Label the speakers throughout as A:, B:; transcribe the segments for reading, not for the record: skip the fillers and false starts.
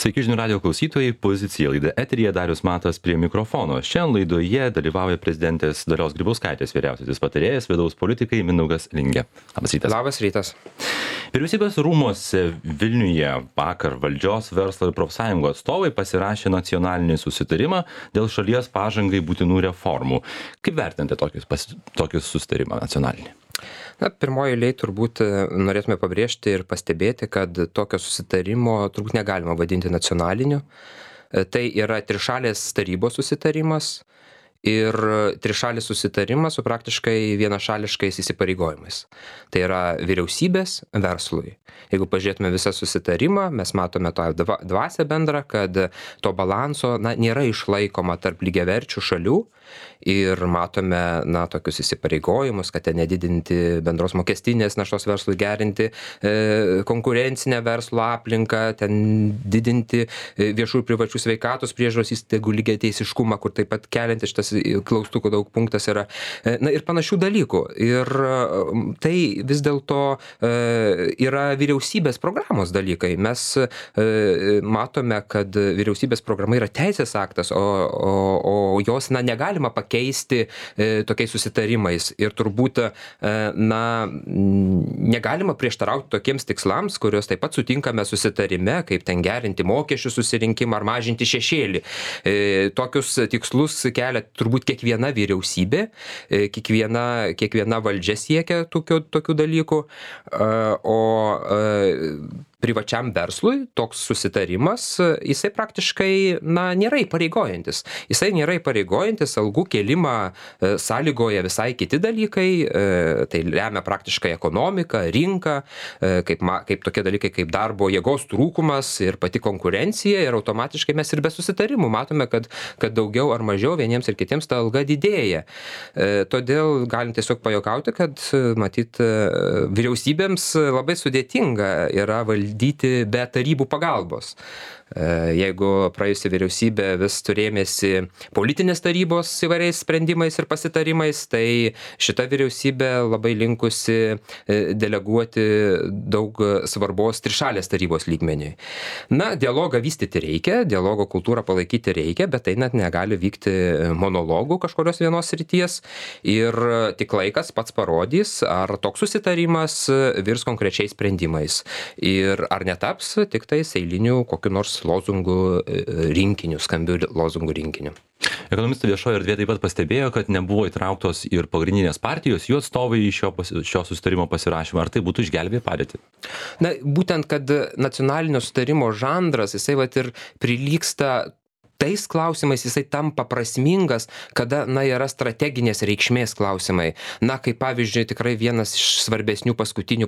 A: Sveiki žinių radio klausytojai, pozicija laida eteryje, Darius Matas prie mikrofono. Šiandien laidoje dalyvauja prezidentės Dalios Grybauskaitės vyriausiasis patarėjas, vidaus politikai Mindaugas Lingė. Labas rytas.
B: Labas rytas.
A: Vyriausybės rūmuose Vilniuje vakar valdžios, verslo ir profsąjungų atstovai pasirašė nacionalinį susitarimą dėl šalies pažangai būtinų reformų. Kaip vertinate tokį susitarimą nacionalinį?
B: Pirmoji eilėje turbūt norėtume pabrėžti ir pastebėti, kad tokio susitarimo turbūt negalima vadinti nacionaliniu. Tai yra trišalės tarybos susitarimas ir trišalis susitarimas su praktiškai vienašališkais įsipareigojimais. Tai yra vyriausybės verslui. Jeigu pažiūrėtume visą susitarimą, mes matome tą dvasią bendrą, kad to balanso nėra išlaikoma tarp lygiaverčių šalių ir matome tokius įsipareigojimus, kad ten nedidinti bendros mokestinės naštos verslui, gerinti konkurencinę verslo aplinką, ten didinti viešų ir privačių sveikatos priežiūros įstaigų lygiateisiškumą, kur taip pat keliantis šitas klaustukų daug punktas yra, ir panašių dalykų. Ir tai vis dėlto yra vyriausybės programos dalykai. Mes matome, kad vyriausybės programa yra teisės aktas, o jos negalima pakeisti tokiais susitarimais. Ir turbūt negalima prieštarauti tokiems tikslams, kuriuos taip pat sutinkame susitarime, kaip ten gerinti mokesčių susirinkimą ar mažinti šešėlį. Tokius tikslus kelia turbūt kiekviena vyriausybė, kiekviena valdžia siekia tokių dalykų, o privačiam verslui toks susitarimas, jisai praktiškai nėra įpareigojantis. Jisai nėra įpareigojantis, algų kėlimą sąlygoja visai kiti dalykai, tai lemia praktiškai ekonomika, rinka, kaip tokie dalykai kaip darbo jėgos trūkumas ir pati konkurencija, ir automatiškai mes ir be susitarimų matome, kad daugiau ar mažiau vieniems ir kitiems ta alga didėja. Todėl galim tiesiog pajuokauti, kad matyt vyriausybėms labai sudėtinga yra valdyti be tarybų pagalbos. Jeigu praėjusi vyriausybė vis turėmėsi politinės tarybos įvairiais sprendimais ir pasitarimais, tai šita vyriausybė labai linkusi deleguoti daug svarbos trišalės tarybos lygmeniui. Dialogą vystyti reikia, dialogo kultūrą palaikyti reikia, bet tai net negali vykti monologų kažkurios vienos srities ir tik laikas pats parodys, ar toks susitarimas virs konkrečiais sprendimais ir ar netaps tik tais eilinių kokiu nors lozungų rinkiniu, skambių lozungų rinkiniu.
A: Ekonomistai viešoje erdvėje taip pat pastebėjo, kad nebuvo įtrauktos ir pagrindinės partijos, jų atstovai į šio susitarimo pasirašymą. Ar tai būtų išgelbėję padėtį?
B: Būtent, kad nacionalinio susitarimo žanras, jisai ir prilygsta tais klausimais, jisai tampa prasmingas, kada, yra strateginės reikšmės klausimai. Kaip pavyzdžiui, tikrai vienas iš svarbesnių paskutinių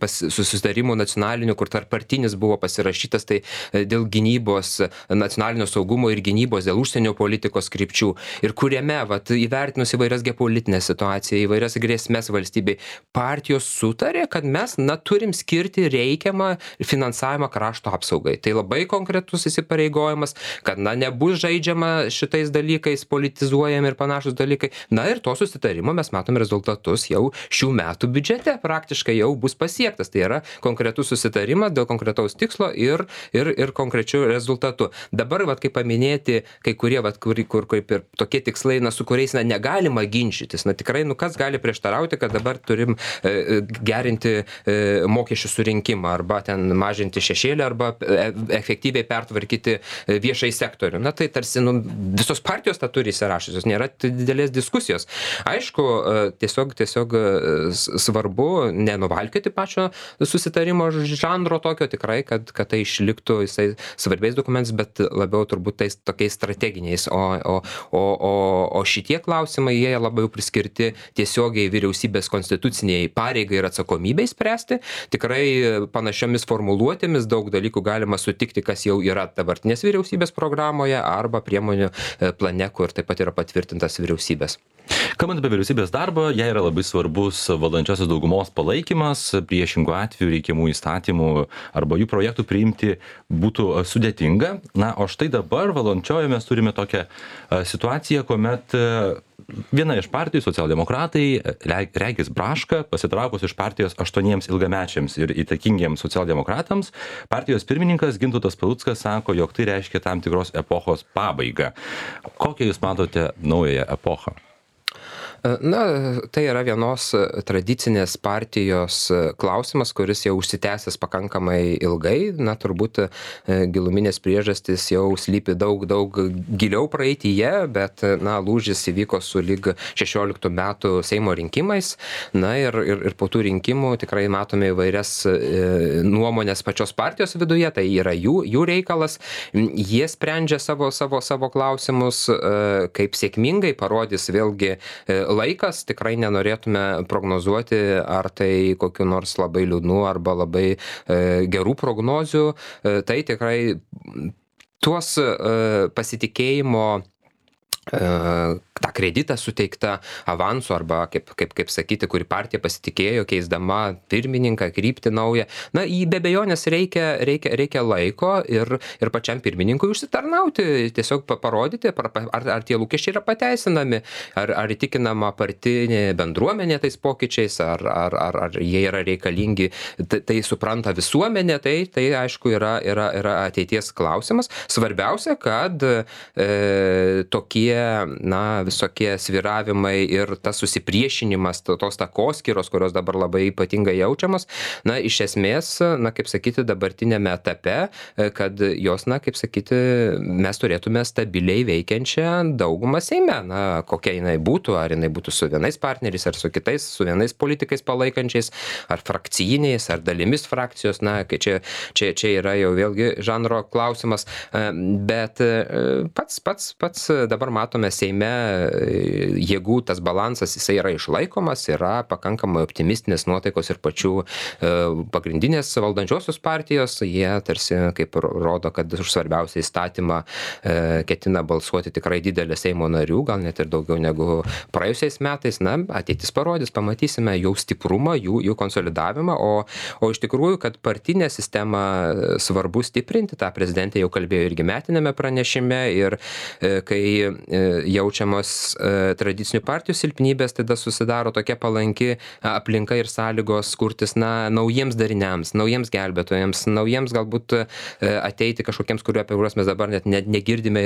B: susitarimų nacionalinių, kur tarppartinis buvo pasirašytas, tai dėl gynybos, nacionalinio saugumo ir gynybos, dėl užsienio politikos krypčių. Ir kuriame, įvertinus įvairias geopolitinės situacijas, įvairias grėsmės valstybei, partijos sutarė, kad mes turim skirti reikiamą finansavimą krašto apsaugai. Tai labai konkretus įsipareigojimas, kad nebus žaidžiama šitais dalykais, politizuojami ir panašus dalykai. Ir to susitarimo mes matome rezultatus jau šių metų biudžete, praktiškai jau bus pasiektas. Tai yra konkretus susitarimas dėl konkretaus tikslo ir konkrečių rezultatų. Dabar, kaip paminėti, kai kurie, kur kaip ir tokie tikslai, su kuriais negalima ginčytis. Tikrai, kas gali prieštarauti, kad dabar turim gerinti mokesčių surinkimą arba ten mažinti šešėlį arba efektyviai pertvarkyti viešai sektorių. Tai tarsi visos partijos tą turi įsirašusios, nėra didelės diskusijos. Aišku, tiesiog svarbu nenuvalkioti pačio susitarimo žanro tokio, tikrai, kad tai išliktų jisai svarbiais dokumentais, bet labiau turbūt tais tokiais strateginiais. O šitie klausimai, jie labiau priskirti tiesiogiai vyriausybės konstituciniai pareigai ir atsakomybei spręsti. Tikrai panašiomis formuluotėmis daug dalykų galima sutikti, kas jau yra dabartinės vyriausybės programoje arba priemonių plane, kur taip pat yra patvirtintas vyriausybės.
A: Kalbant apie vyriausybės darbą, jai yra labai svarbus valdančiosios daugumos palaikymas, priešingų atveju reikiamų įstatymų arba jų projektų priimti būtų sudėtinga. O štai dabar valdančioje mes turime tokią situaciją, kuomet viena iš partijų, socialdemokratai, Regis Braška, pasitraukus iš partijos 8 ilgamečiams ir įtakingiems socialdemokratams, partijos pirmininkas Gintautas Paluckas sako, jog tai reiškia tam tikros epochos pabaigą. Kokią jūs matote naująją epochą?
B: Na, tai yra vienos tradicinės partijos klausimas, kuris jau užsitęsęs pakankamai ilgai. Na, turbūt giluminės priežastys jau slypi daug giliau praeityje, bet, na, lūžis įvyko su lyg 16 metų Seimo rinkimais. Na, ir po tų rinkimų tikrai matome įvairias nuomonės pačios partijos viduje, tai yra jų reikalas. Jie sprendžia savo klausimus, kaip sėkmingai parodys vėlgi laikas, tikrai nenorėtume prognozuoti, ar tai kokiu nors labai liūdnų arba labai gerų prognozių. Tai tikrai tuos pasitikėjimo tą kreditą suteiktą avansu arba kaip sakyti, kuri partija pasitikėjo, keisdama pirmininką, kryptį naują. Na, jį be abejonės reikia laiko ir pačiam pirmininkui užsitarnauti, tiesiog parodyti, ar tie lūkesčiai yra pateisinami, ar įtikinama partinė bendruomenė tais pokyčiais, ar jie yra reikalingi, tai supranta visuomenė, tai aišku yra ateities klausimas. Svarbiausia, kad tokie, na, visokie svyravimai ir tas susipriešinimas, tos takoskyros, kurios dabar labai ypatingai jaučiamas, na, iš esmės, na, kaip sakyti, dabartinėme etape, kad jos, na, kaip sakyti, mes turėtume stabiliai veikiančią daugumą Seime, na, kokia jinai būtų, ar jinai būtų su vienais partneriais, ar su kitais, su vienais politikais palaikančiais, ar frakcijiniais, ar dalimis frakcijos, na, kai čia yra jau vėlgi žanro klausimas, bet pats dabar matome Seime jėgų tas balansas, jisai yra išlaikomas, yra pakankamai optimistinės nuotaikos ir pačių pagrindinės valdančiosios partijos, jie tarsi kaip rodo, kad už svarbiausią įstatymą ketina balsuoti tikrai didelė Seimo narių, gal net ir daugiau negu praėjusiais metais. Na, ateitis parodys, pamatysime jų stiprumą, jų konsolidavimą, o iš tikrųjų, kad partinę sistemą svarbu stiprinti, tą prezidentė jau kalbėjo irgi metinėme pranešime, ir kai jaučiamos tradicinių partijų silpnybės, tada susidaro tokia palanki aplinka ir sąlygos kurtis, na, naujiems dariniams, naujiems gelbėtojams, naujiems galbūt ateiti kažkokiems, apie kuriuos mes dabar net negirdime,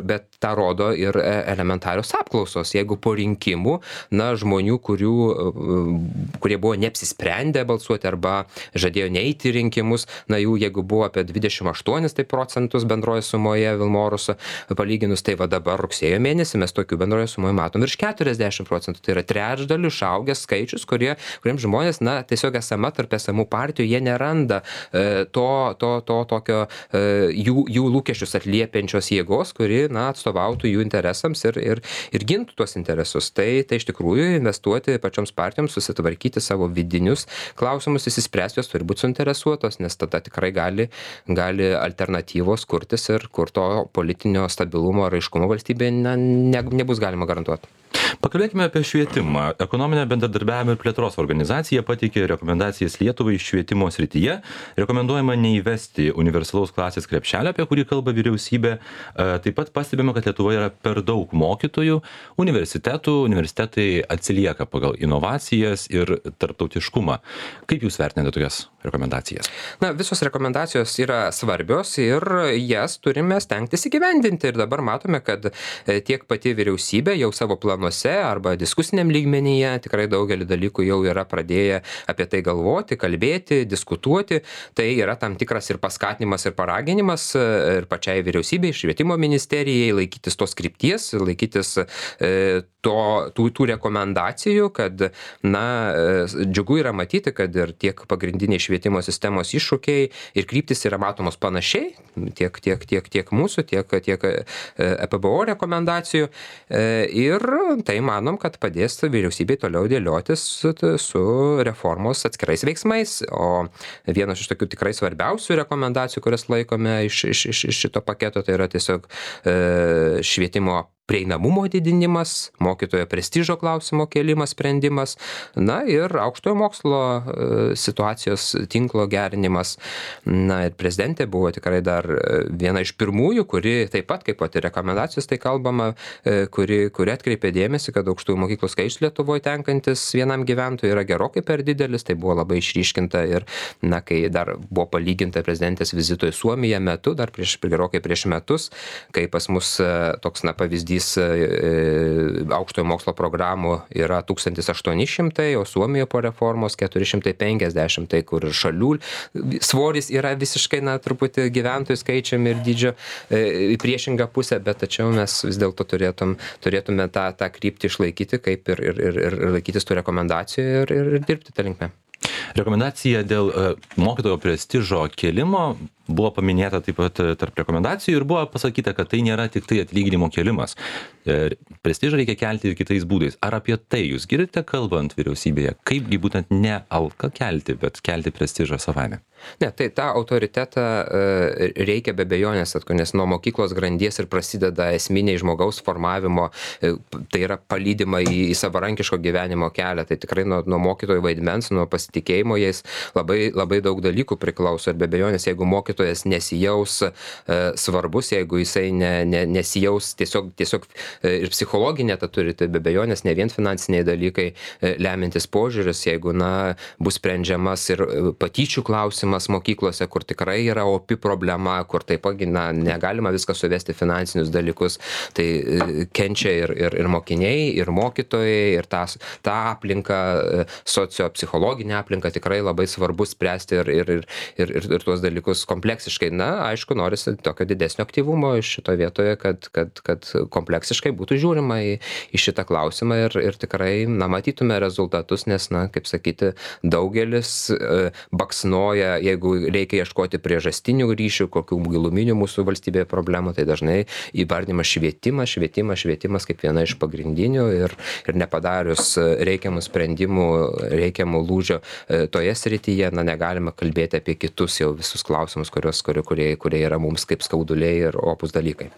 B: bet tą rodo ir elementarios apklausos. Jeigu po rinkimų, na, žmonių, kurie buvo neapsisprendę balsuoti arba žadėjo neiti į rinkimus, na, jų jeigu buvo apie 28 procentus bendroje sumoje Vilmorus palyginus, tai va dabar rugsėjo mėnesį mes tokių bendroje sumoje matom virš 40 procentų. Tai yra trečdaliu išaugęs skaičius, kuriems žmonės, na, tiesiog esama tarp esamų partijų, jie neranda tokio jų lūkesčius atliepiančios jėgos, kuri, na, atstovautų jų interesams ir gintų tuos interesus. Tai iš tikrųjų investuoti pačioms partijoms, susitvarkyti savo vidinius klausimus, įsispręsti, jos turi būti suinteresuotos, nes tada tikrai gali alternatyvos kurtis ir kur to politinio stabilumo ir aiškumo valstybėje nebus galima garantuoti.
A: Pakalbėkime apie švietimą. Ekonominio bendradarbiavimo ir plėtros organizacija pateikė rekomendacijas Lietuvai švietimo srityje. Rekomenduojama neįvesti universalaus klasės krepšelio, apie kurį kalba vyriausybė. Taip pat pastebima, kad Lietuvoje yra per daug mokytojų. Universitetai atsilieka pagal inovacijas ir tarptautiškumą. Kaip jūs vertinate tokias rekomendacijas?
B: Na, visos rekomendacijos yra svarbios ir jas turime stengtis įgyvendinti. Ir dabar matome, kad tiek pati vyriausybė jau savo planuose arba diskusiniam lygmenyje tikrai daugelį dalykų jau yra pradėję apie tai galvoti, kalbėti, diskutuoti. Tai yra tam tikras ir paskatinimas, ir paraginimas ir pačiai vyriausybei, švietimo ministerijai laikytis tos krypties, laikytis tų rekomendacijų, kad, na, džiugu yra matyti, kad ir tiek pagrindiniai švietimo sistemos iššūkiai ir kryptis yra matomos panašiai, tiek mūsų, tiek EPBO rekomendacijų. Ir tai manom, kad padės vyriausybei toliau dėliotis su reformos atskirais veiksmais. O vienas iš tokių tikrai svarbiausių rekomendacijų, kurias laikome iš šito paketo, tai yra tiesiog švietimo prieinamumo didinimas, mokytojo prestižo klausimo kėlimas, sprendimas, na ir aukštojo mokslo situacijos tinklo gerinimas. Na ir prezidentė buvo tikrai dar viena iš pirmųjų, kuri taip pat, kaip pat ir rekomendacijos tai kalbama, kuri atkreipė dėmesį, kad aukštųjų mokyklų skaičius Lietuvoje tenkantis vienam gyventojui yra gerokai per didelis, tai buvo labai išryškinta ir, na, kai dar buvo palyginta prezidentės vizito į Suomiją metu, dar gerokai prieš metus, kai pas mus toks, na, pavyzdys aukštojo mokslo programų yra 1800, o Suomijoje po reformos 450, tai kur šalių svoris yra visiškai, na, truputį gyventojų skaičiami ir dydžio į priešingą pusę, bet tačiau mes vis dėlto turėtume tą kryptį išlaikyti, kaip ir laikytis tų rekomendacijų ir dirbti tą linkmę.
A: Rekomendacija dėl mokytojo prestižo kėlimo buvo paminėta taip pat tarp rekomendacijų ir buvo pasakyta, kad tai nėra tik tai atlyginimo kėlimas. Prestižą reikia kelti ir kitais būdais. Ar apie tai jūs girdite kalbant vyriausybėje? Kaipgi būtent ne algą kelti, bet kelti prestižą savaime?
B: Ne, tai tą autoritetą reikia be abejonės, nes nuo mokyklos grandies ir prasideda esminiai žmogaus formavimo, tai yra palydima į savarankiško gyvenimo kelią. Tai tikrai nuo mokytojų vaidmens, nuo pasitikėjimo jais labai daug dalykų priklauso. Ir be abejonės, jeigu mokytojas nesijaus svarbus, jeigu jisai nesijaus tiesiog ir psichologinė ta turi, tai be abejonės ne vien finansiniai dalykai lemintis požiūris, jeigu, na, bus sprendžiamas ir patyčių klausimas mokyklose, kur tikrai yra opi problema, kur taip pat, na, negalima viską suvesti finansinius dalykus, tai kenčia ir mokiniai, ir mokytojai, ir tą aplinką, sociopsichologinę aplinką tikrai labai svarbu spręsti ir tuos dalykus kompleksiškai. Na, aišku, norisi tokio didesnio aktyvumo iš šito vietoje, kad kompleksiškai būtų žiūrima į šitą klausimą ir tikrai, na, matytume rezultatus, nes, na, kaip sakyti, daugelis baksnoja, jeigu reikia ieškoti priežastinių ryšių, kokių giluminių mūsų valstybėje problemų, tai dažnai įvardinimas švietimas kaip viena iš pagrindinių ir nepadarius reikiamų sprendimų, reikiamų lūžio toje srityje, na, negalima kalbėti apie kitus jau visus klausimus, kurie yra mums kaip skauduliai ir opus dalykai.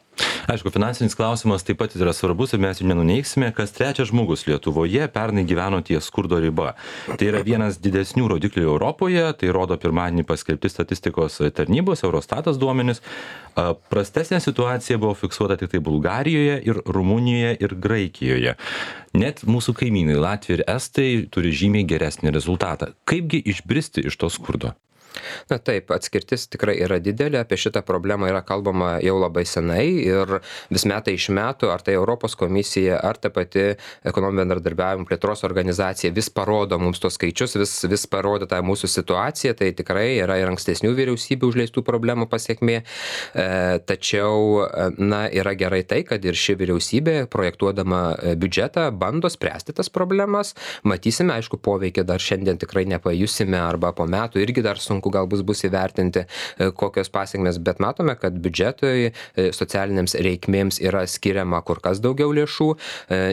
A: Aišku, finansinis klausimas taip pat yra svarbus ir mes jų nenuneiksime, kas trečias žmogus Lietuvoje pernai gyveno ties skurdo riba. Tai yra vienas didesnių rodiklių Europoje, tai rodo pirmadienį paskelbti statistikos tarnybos, Eurostatas duomenys. Prastesnė situacija buvo fiksuota tik tai Bulgarijoje ir Rumunijoje ir Graikijoje. Net mūsų kaimynai Latvija ir Estai turi žymiai geresnį rezultatą. Kaipgi išbristi iš to skurdo?
B: Na taip, atskirtis tikrai yra didelė, apie šitą problemą yra kalbama jau labai senai ir vis metai iš metų, ar tai Europos komisija, ar ta pati ekonominio bendradarbiavimo plėtros organizacija vis parodo mums tos skaičius, vis parodo tą mūsų situaciją, tai tikrai yra ir ankstesnių vyriausybių užleistų problemų pasiekmė, tačiau, na, yra gerai tai, kad ir ši vyriausybė projektuodama biudžetą bando spręsti tas problemas, matysime, aišku, poveikį dar šiandien tikrai nepajusime arba po metų irgi dar sunku galbūt bus įvertinti, kokios pasiekmės, bet matome, kad biudžetui socialinėms reikmėms yra skiriama kur kas daugiau lėšų,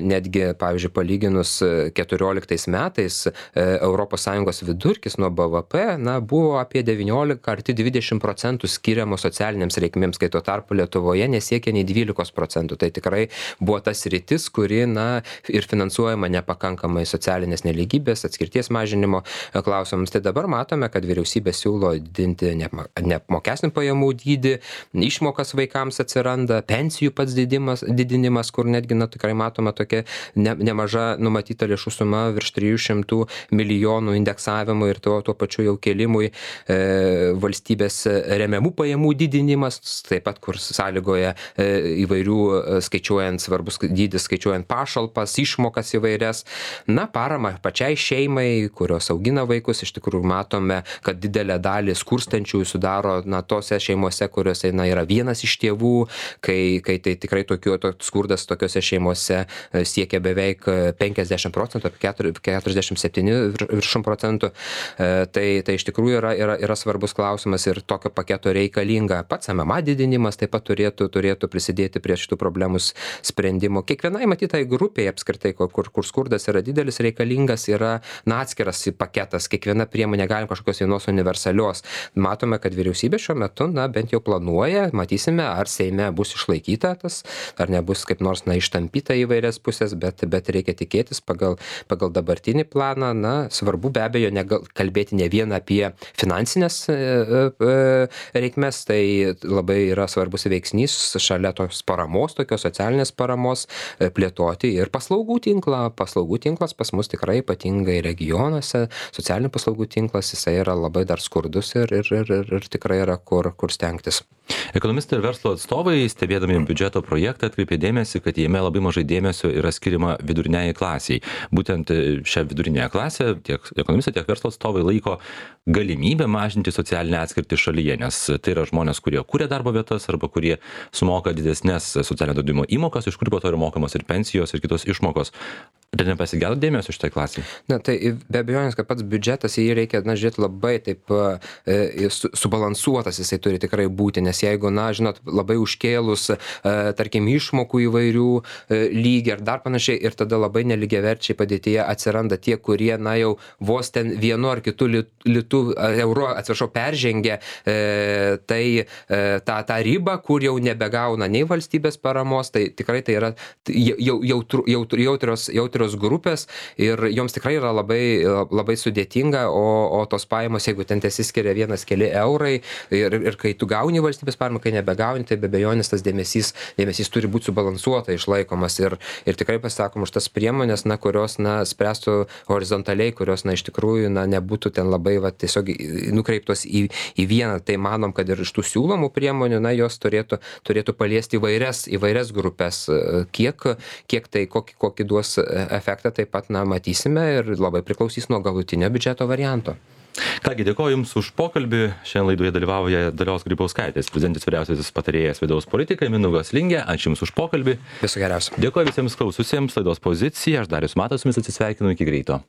B: netgi, pavyzdžiui, palyginus 14 metais ES vidurkis nuo BVP, na, buvo apie 19 arti 20% skiriamo socialinėms reikmėms, kai tuo tarpu Lietuvoje nesiekia nei 12%. Tai tikrai buvo tas sritis, kuri, na, ir finansuojama nepakankamai socialinės nelygybės, atskirties mažinimo klausimams. Tai dabar matome, kad vyriausybė siūlo didinti neapmokestinamų pajamų dydį, išmokas vaikams atsiranda, pensijų pats didinimas, kur netgi, na, tikrai matoma tokia nemaža numatyta lėšų suma virš 300 milijonų indeksavimui ir tuo pačiu jau kėlimui, valstybės remiamų pajamų didinimas, taip pat kur sąlygoja įvairių skaičiuojant svarbus dydis, skaičiuojant pašalpas, išmokas įvairias, na, parama pačiai šeimai, kurios augina vaikus, iš tikrųjų matome, kad didelė dalį skurstančiųjų sudaro, na, tose šeimose, kuriuose, na, yra vienas iš tėvų, kai tai tikrai skurdas tokiuose šeimose siekia beveik 50%, apie 47%. Tai iš tikrųjų yra svarbus klausimas ir tokio paketo reikalinga. Pats MMA didinimas taip pat turėtų prisidėti prie šitų problemų sprendimo. Kiekvienai matytai grupiai apskritai, kur skurdas yra didelis, reikalingas yra, na, atskiras paketas. Kiekviena priemonė galim kažkokios vienos universalios universalios. Matome, kad vyriausybė šiuo metu, bent jau planuoja, matysime, ar Seime bus išlaikyta tas, ar nebus kaip nors, ištampyta į vairias pusės, bet reikia tikėtis pagal dabartinį planą. Svarbu be abejo kalbėti ne vien apie finansinės reikmes, tai labai yra svarbus veiksnys šalia tos paramos, tokios socialinės paramos, plėtoti ir paslaugų tinklą. Paslaugų tinklas pas mus tikrai ypatingai regionuose, socialinių paslaugų tinklas, jisai yra labai dar skurdus ir tikrai yra kur stengtis.
A: Ekonomistai ir verslo atstovai, stebėdami biudžeto projektą, atkreipė dėmesį, kad jame labai mažai dėmesio yra skiriama viduriniajai klasiai. Būtent šią vidurinėją klasę tiek ekonomistai, tiek verslo atstovai laiko galimybę mažinti socialinę atskirtį šalyje, nes tai yra žmonės, kurie kuria darbo vietas arba kurie sumoka didesnės socialinio draudimo įmokas, iš kurių po to yra mokamos ir pensijos, ir kitos išmokos. Ar nepasigėdo dėmesio šitai klasiai?
B: Tai be abejonės, kad pats biudžetas, jį reikia, žiūrėti labai taip subalansuotas, jisai turi tikrai būti, nes jeigu, žinot, labai užkėlus, tarkim, išmokų įvairių lygį ar dar panašiai, ir tada labai nelygiaverčiai padėtyje atsiranda tie, kurie, jau vos ten vienu ar kitu euro, peržengia tą ribą, kur jau nebegauna nei valstybės paramos, tai tikrai tai yra jautrios grupės ir joms tikrai yra labai sudėtinga, o tos pajamos, jeigu ten tesiskiria vienas keli eurai ir kai tu gauni valstybės paramą, kai nebegauni, tai be abejonės tas dėmesys turi būti subalansuotai išlaikomas ir tikrai pasakom už tas priemonės, kurios spręstų horizontaliai, kurios iš tikrųjų nebūtų ten labai tiesiog nukreiptos į vieną. Tai manom, kad ir iš tų siūlomų priemonių, jos turėtų paliesti įvairias grupės. Kiek tai, kokį duos efektą, taip pat matysime ir labai priklausys nuo galutinio biudžeto varianto.
A: Kągi, dėkoju Jums už pokalbį. Šiandien laidoje dalyvauja Dalios Grybauskaitės, prezidentės vyriausiasis patarėjas vidaus politikai Mindaugas Lingė. Ačiū Jums už pokalbį.
B: Viso geriausio.
A: Dėkoju visiems klaususiems. Laidos Pozicija. Aš Darius Matas su Jumis atsisveikinu. Iki greito.